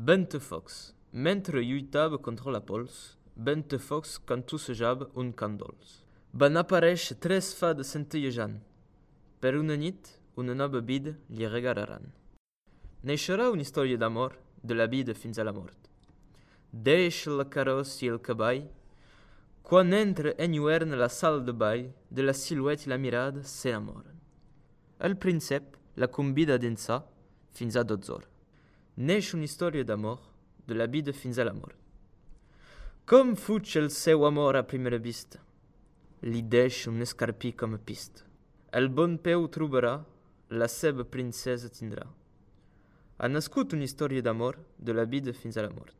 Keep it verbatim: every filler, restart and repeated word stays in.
Ventefox, mentre lluitava contra la pols, Ventefox cantussejava un cant dolç. Van aparèixer tres fades centellejant. Per una nit, una nova vida li regalaran. Neixerà una història d'amor, de la vida fins a la mort. Deixa la carrossa i el cavall. Quan entra enlluerna la sala de ball, de la silueta i la mirada s'enamoren. El príncep la convida a dansar fins a dotze hores. Neix una història d'amor, de la vida fins a la mort. Com fuig el seu amor a primera vista, li deixa un escarpí com a pista. El bon peu trobarà, la seva princesa tindrà. Ha nascut una història d'amor, de la vida fins a la mort.